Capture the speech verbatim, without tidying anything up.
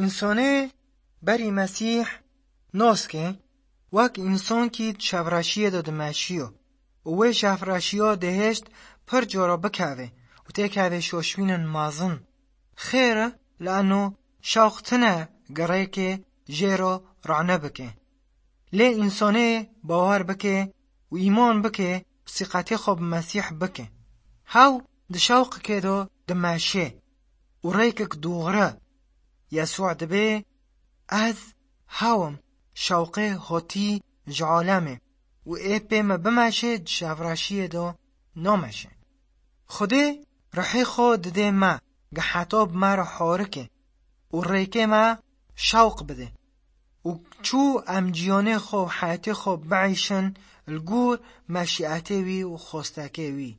Însanê berî Mesîh nas ke wek însankî di şevreşiyê de dimeşiyo û wê şevreşiya dihêşt pir cara bikeve û têkeve şoşbînên mezin. Xêr e, li eno şewq tine gereke jê re rane bike. Lê însanê bawer bike û îman bike û sîqetê xwe bi Mesîh bike. Hew di şewqekê de dimeşe û rêkek dûxre. Yesû dibê, ez hew im, şewqê hotî ji alemê û ê pê me bimeşe di şevreşiyê de nameşe. Xwedê rihê xwe didê me, ge heta bi me re harike û rêkê me şewq bide û çû em ciyanê xwe û heyetê xwe bieyşin li gor meşiyetê wî û xwestekê wî.